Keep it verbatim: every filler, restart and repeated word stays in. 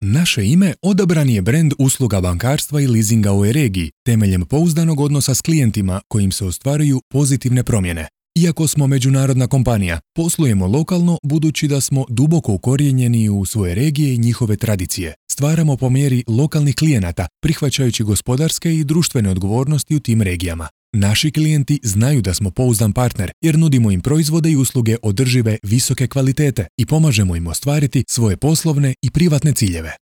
Naše ime odabran je brend usluga bankarstva i leasinga u ovoj regiji, temeljem pouzdanog odnosa s klijentima kojim se ostvaruju pozitivne promjene. Iako smo međunarodna kompanija, poslujemo lokalno budući da smo duboko ukorijenjeni u svoje regije i njihove tradicije. Stvaramo po mjeri lokalnih klijenata, prihvaćajući gospodarske i društvene odgovornosti u tim regijama. Naši klijenti znaju da smo pouzdan partner jer nudimo im proizvode i usluge održive visoke kvalitete i pomažemo im ostvariti svoje poslovne i privatne ciljeve.